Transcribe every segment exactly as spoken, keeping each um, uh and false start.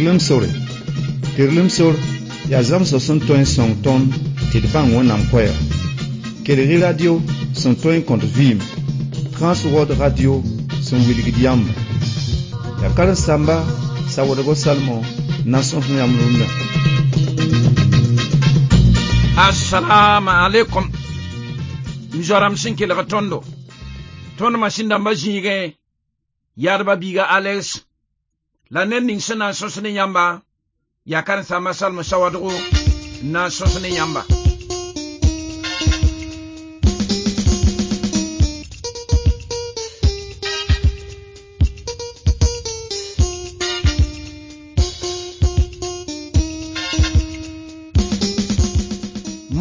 Tɩrlem sore. Tɩrlem sor yaa zãmsg sẽn tõe n sõng tõnd tɩ d bãng Wẽnnaam koɛɛg. Kelg-y radio sẽn tõe n kõt vɩɩm, Transworld Radio sẽn wilgd yãmba. Yaa karen-saamba Sawadgo Salmon n na n sõs yãmb rũndã. Assalamu alaikum. M zoa-rãmb sẽn kelg tõndo. Tõnd masĩn-dãmbã zĩigẽ yaadba biiga Alex la ned ning sẽn na n sõs ne yãmba yaa karen-saamba Salmo Sawadgo n na n sõs ne yãmba.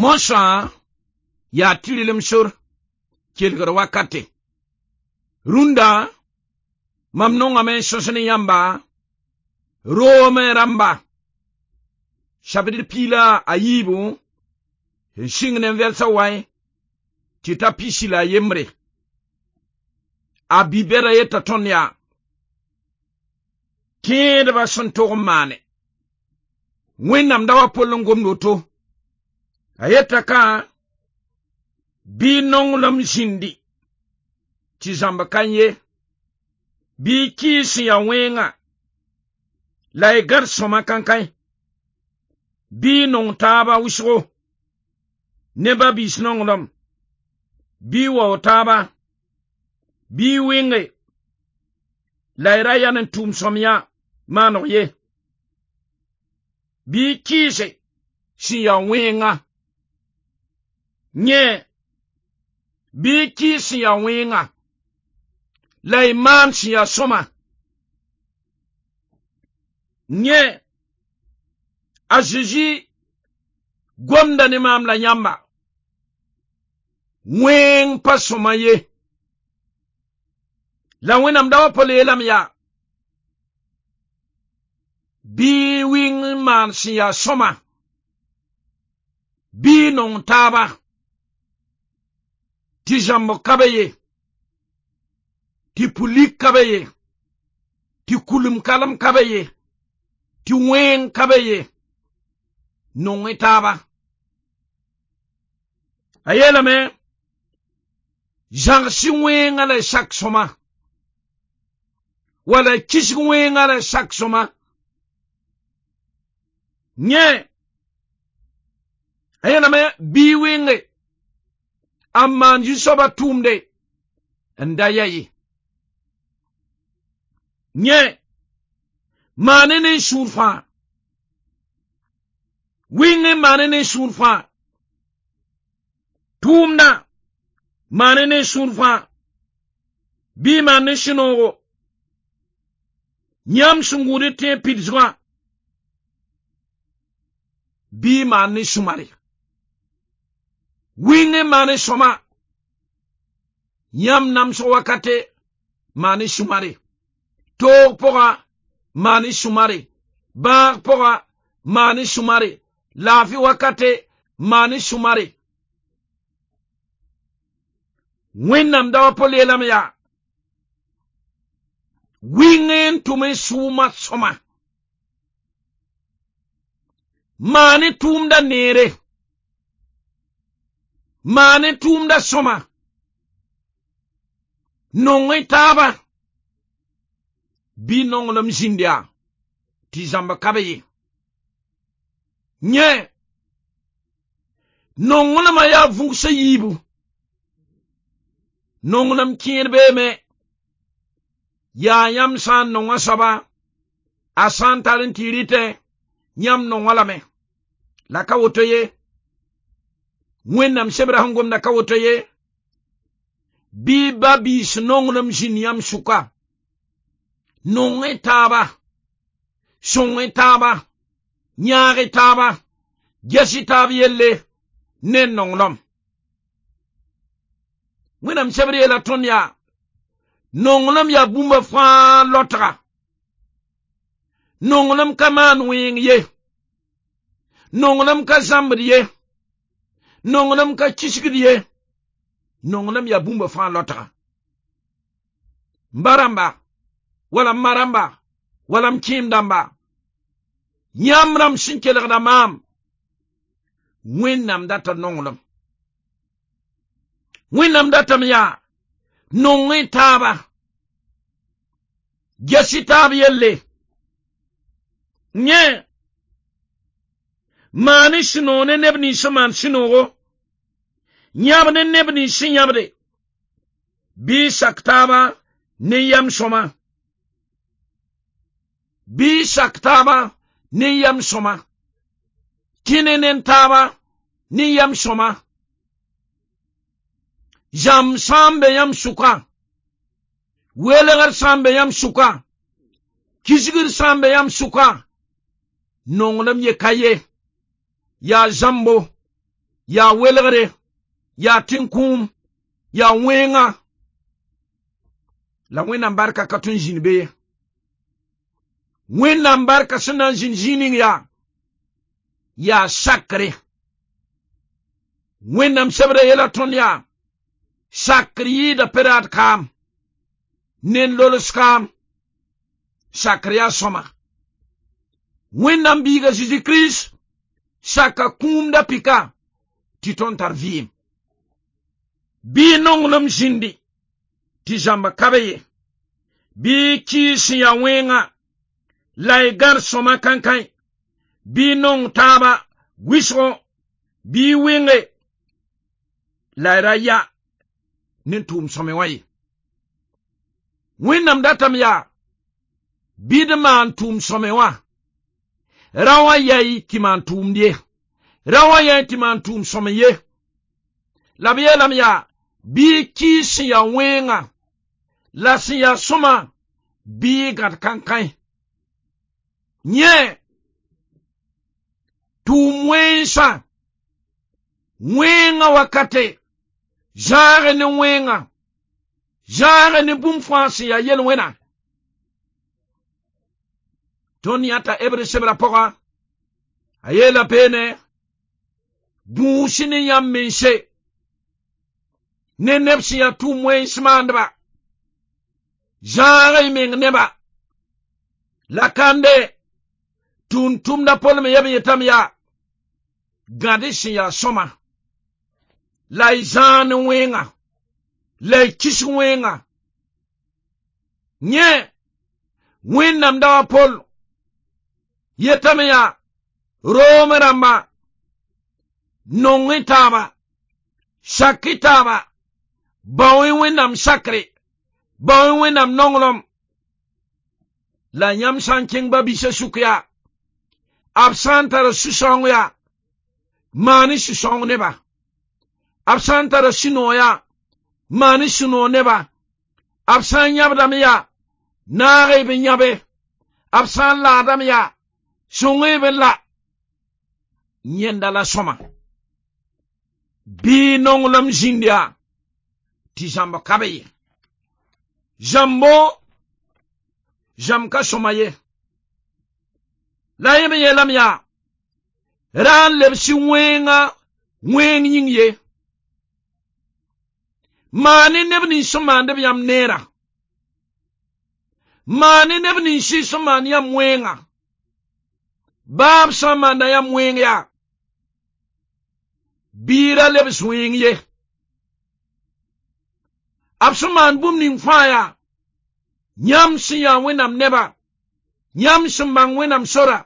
Mosã yaa tɩrlem sor kelgr wakate. Rũndã mam nongame n sõs ne yãmba roomẽ rãmba chapitre piig la a yiibu n sɩng ne vɛlsã waẽ tɩ ta pisi la a yembre. A bi-bɛda yeta tõnd yaa tẽedbã sẽn tog n maane. Wẽnnaam da wa pol n gomd woto. A yeta ka bɩ nonglem zĩndi tɩ zãmb ka ye, bɩ kɩɩs sẽn yaa wẽnga la y gãd sõma kãnkãe, bɩ y nong taaba wʋsgo ne ba-biis nonglem, bɩ y wao taaba, bɩ y wɩnge la y ra yãnd n tʋʋm sõmyã maaneg ye, bɩ y kɩɩse sẽn yaa wẽnga. Yẽ bɩ y kɩɩs sẽn yaa wẽnga la y maan sẽn yaa sõma. Yẽ a Zezi gomda ne maam la yãmba wẽng pa sõma ye. La Wẽnnaam da wa pol yeelame yaa bɩ y wɩng n maan sẽn yaa sõma, bɩ y nong taaba tɩ zãmb ka be ye, tɩ pʋlik ka be ye, tɩ kulem kalem ka be ye, tɩ wẽng ka be ye, nong-y taaba. A yeelame zãgs-y wẽnga la y sak sõma, wala y kisg wẽnga la y sak sõma. Yẽ a yeelame bɩ y wɩnge a maan zu-soabã tʋʋmde n da ya ye. Yẽ maane ne sũur fãa, wɩng n maane ne sũur fãa, tʋʋmdã maane ne sũur fãa, bɩ y maan ne sũ-noogo. Yãmb sẽn gũud y tẽeb pidsgã, bɩ y maan ne sũ-mare. Wɩng n maan sõma, yãmb namsg wakate maan sũ-mare. Toog pʋga maan sũ-mare, bãag pʋga maan sũ-mare, laafɩ wakate maan sũ-mare. Wẽnnaam da wa pol yeelame yaa wɩng n tʋm n sʋʋma sõma, maan tʋʋmda neere, maan tʋʋmda sõma, nong-y taaba, bɩ nonglem zĩnd yaa tɩ zãmb ka be ye. Yẽ nonglmã yaa vʋgsã yiibu. Nonglem kẽer beeme yaa yãmb sã n nong a soaba, a sã n tar n tɩ rɩtẽ, yãmb nongã lame. La ka woto ye. Wẽnnaam sebrã sẽn gomda ka woto ye. Bɩ ba-biis nonglem zĩnd yãmb sʋka. Nong-y taaba, sõng-y taaba, yãag-y taaba, ges-y taab yelle ne nonglem. Wẽnnaam sebr yeela tõnd yaa nonglem yaa bũmba fãa lotga. Nonglem ka maan wẽeng ye. Nonglem ka zãmbd ye. Nonglem ka kisgd ye. Nonglem yaa bũmba fãa lotga. M ba rãmba, wala m ma rãmba, wala m kẽem dãmba, Yãmb rãmb sẽn kelgda maam, Wẽnnaam data nonglem. Wẽnnaam datame yaa nong y taaba, ges y taab yelle. Yẽ maan y sũ-noog ne neb nins sẽn maan sũ-noogo, yãb ne neb nins sẽn yãbde, bɩ y sak taaba ne yam sõma. Bɩ y sak taaba ne yam sõma. Kẽne ne taaba ne yam sõma. Zãmb sã n be yãmb sʋka, welgr sã n be yãmb sʋka, kisgr sã n be yãmb sʋka, nonglem ye ka ye. Yaa zãmbo, yaa welgre, yaa tẽn-kũum, yaa wẽnga. La Wẽnnaam barka ka tõe n zĩnd be ye. Wẽnnaam barka sẽn na n zĩnd zĩig ning yaa, yaa sakre. Wẽnnaam sebra yeela tõnd yaa, sakr yɩɩda pe-raad kaam, ne lols kaam, sakr yaa sõma. Wẽnnaam biiga Zeezi Kirist saka kũum da pika tɩ tõnd tar vɩɩm. Bɩ nonglem zĩndi tɩ zãmba ka be ye. Bɩ kɩɩs sẽn yaa wẽnga la y gãd sõma kãnkãe. Bɩ nong taaba wɩsgo, bɩ y wɩnge la y ra ya ne tʋʋm sõme wã ye. Wẽnnaam datame yaa bɩ d maan tʋʋm sõme wã, ra wã yay tɩ maan tʋʋmd ye, ra wã yay tɩ maan tʋʋm sõme ye. La b yeelame yaa bɩ y kɩɩs sẽn yaa wẽnga la sẽn yaa sõma bɩ y gãd kãnkãe. Yẽ tʋʋm wẽnsã, wẽnga wakate, zãage ne wẽnga, zãage ne bũmb fãa sẽn yaa yel-wẽna. Tõnd yãta Hebre sebra pʋga, a yeela peene, gũus ne yãmb mense, ne neb sẽn yaa tʋʋm wẽns maandba, zãag y meng neba. La kande, tʋʋm-tʋmda Pol me yeb n yetame yaa, gãd sẽn yaa sõma, la y zãag ne wẽnga, la y kis wẽnga. Yẽ, Wẽnnaam da wa Pol yetame yaa, Rom rãmba, nong y taaba, sak y taaba, bao y Wẽnnaam sakre, bao y Wẽnnaam nonglem. La yãmb sã n kẽng ba-biisã sʋk yaa, b sã n tara sũ-sãoong yaa, maan y sũ-sãoong neba. B sã n tara sũ-noog yaa, maan y sũ-noog neba. B sã n yãbdame yaa, naag y b yãbe. B sã n laadame yaa, sõng y b la. Yẽnda la sõma. Bɩ nonglem zĩnd yaa, tɩ zãmb ka be ye. Zãmbo, zãmb ka sõma ye. La yẽ me yeelame yaa, ra n lebs wẽnga wẽng yĩng ye. Maan neb nins sẽn maand b yãmb neera. Maan neb nins sẽn maan yãmb wẽnga. Baa b sã n maanda yãmb wẽng yaa, bɩ ra lebs wẽng ye. B sẽn maan bũmb ning fãa yaa, yãmb sẽn yaa Wẽnnaam neba, yãmb sẽn bãng Wẽnnaam sora,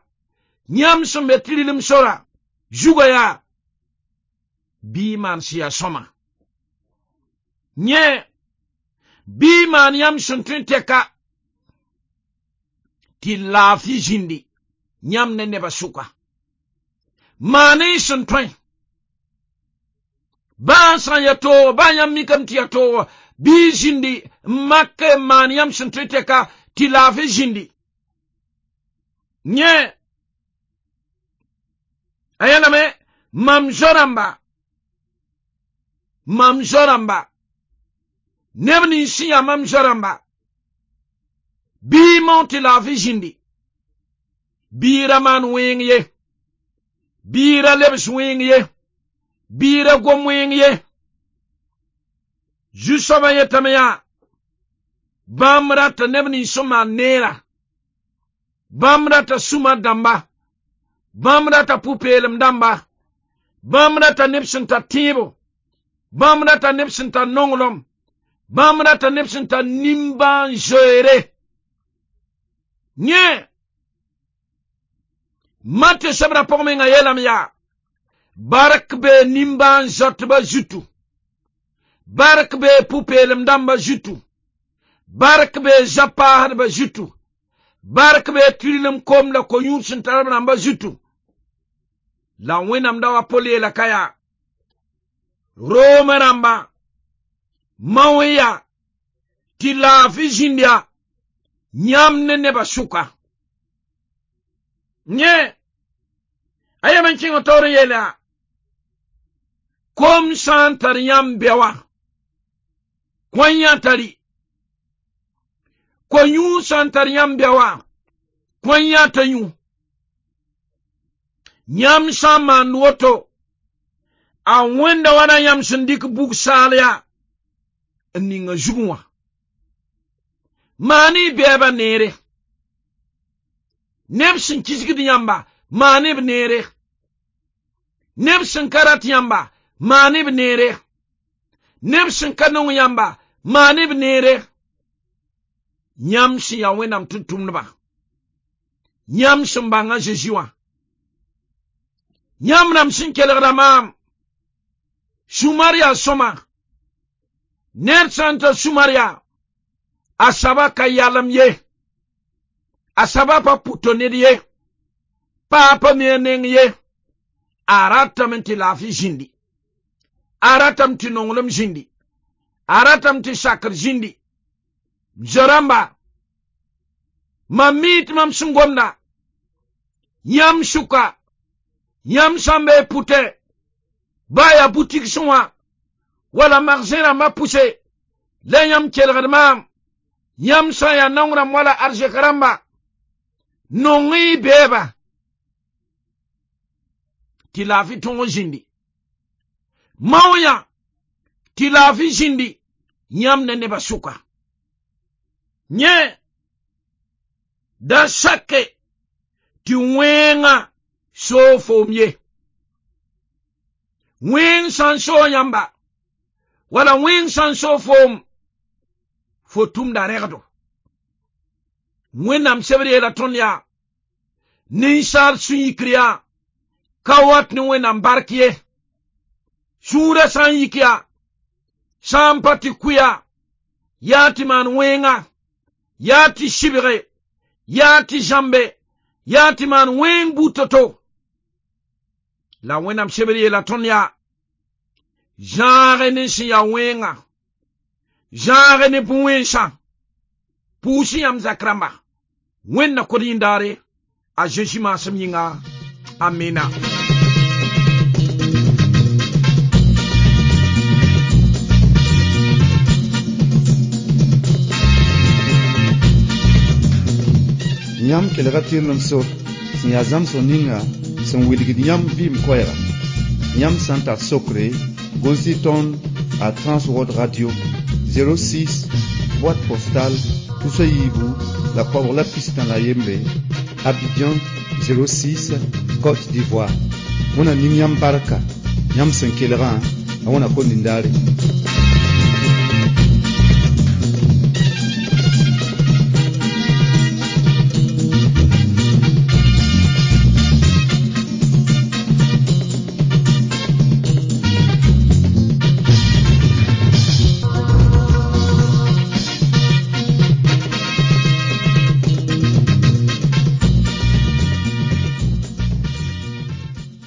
yãmb sẽn be tɩrlem sora, zugã yaa, bɩ y maan sẽn yaa sõma. Yẽ, bɩ y maan yãmb sẽn tõe n tɛka tɩ laafɩ zĩndi yãmb ne nebã sʋka. Maan y sẽn tõe. Baa sã n ya toogo, baa yãmb mikame tɩ yaa toogo, bɩ y zĩndi n mak n maan yãmb sẽn tõe tɛka tɩ laafɩ zĩndi. Yẽ, a yeelame, mam zo-rãmba, mam zo-rãmba, neb nins sẽn yaa mam zo-rãmba, bɩ y mao tɩ laafɩ zĩndi, bɩ y ra maan wẽng ye, bɩ y ra lebs wẽng ye, bɩ y ra gom wẽng ye. Zu-soabã yetame yaa, bãmb rata neb nins sẽn maan neera, bãmb rata sũma dãmba, Bãmb rata pʋ-peelem dãmba, bãmb rata neb sẽn tar tẽebo, bãmb rata neb sẽn tar nonglem, bãmb rata neb sẽn tar nimbãan-zoeere. Yẽ Matɩ sebra pʋg menga yeelame yaa bark bee nimbãan-zoatbã zutu, bark bee pʋ-peelem dãmbã zutu, bark bee zã-paasdbã zutu, bark bee tɩrlem kom la ko-yũud sẽn tar b rãmbã zutu. La Wẽnnaam da wa Pol yeela ka yaa Room rãmba mao n yaa tɩ laafɩ zĩnd yaa yãmb ne nebã sʋka. Yẽ a yem n kẽng taoor n yeel yaa kom sã n tar yãmb bɛ wã kõ yã tari, ko-yũud sã n tar yãmb bɛ wã kõ yã t'a yũ. Yãmb sã n maand woto a wẽnda wa na yãmb sẽn dɩk bug saal yaa n ning a zugẽ wã. Maan y bɛɛbã neere, neb sẽn kisgd yãmba maan b neere, neb sẽn ka rat yãmba maan b neere, neb sẽn ka nong yãmba maan b neere. Yãmb sẽn yaa Wẽnnaam tʋm-tʋmdba, yãmb sẽn bãng a Zezi wã, yãmb rãmb sẽn kelgda maam, sũ-mar yaa sõma. Ned sã n tar sũ-mar yaa a saba ka yalem ye, a saba pa pʋto ned ye, pa pa mi a neng ye, a ratame tɩ laafɩ zĩndi, a ratame tɩ nonglem zĩndi, a ratame tɩ sakr zĩndi. Zo-rãmba, mam mi tɩ mam sẽn gomda yãmb sʋka, yãmb sã n bee pʋtẽ, ba yaa butik sẽ wã wala magsẽ rãmbã pʋse la yãmb kelgd maam, yãmb sã n yaa naong rãmb wala arzɛk rãmba, nong y bɛɛba tɩ laafɩ tõog zĩndi. Mao yã tɩ laafɩ zĩndi yãmb ne nebã sʋka. Yẽ da sake tɩ wẽngã soog foom ye. Wẽng sã n soog yãmba wala wẽng sã n soog foom, fo tʋmda rẽgdo. Wẽnnaam sebr yeela tõnd yaa ninsaal sũ-yikr yaa ka wat ne Wẽnnaam bark ye. Sũurã sã n yik yaa, sã n pa tɩ kʋ yaa, yaa tɩ maan wẽnga, yaa tɩ sɩbge, yaa tɩ zãmbe, yaa tɩ maan wẽng buud to-to. La Wẽnnaam sebr yeela tõnd yaa zãage ne sẽn yaa wẽnga, zãage ne bũ-wẽnsã, pʋʋs yãmb zak rãmba. Wẽnd na kod yĩndaare a Zezi maasem yĩnga. Amina. Yãmb kelga tɩrlem sor sẽn yaa zãmsg ninga sẽn wilgd yãmb vɩɩm koɛɛga. Yãmb sã n tar sokre, gʋls-y tõnd a Transworld Radio zéro six boîte postale tus a yiibu la koabg la pistã la yembre, Abidjan zéro six Côte d'Ivoire. Wẽnna ning yãmb barka yãmb sẽn kelgã, a wẽna kom nindaare.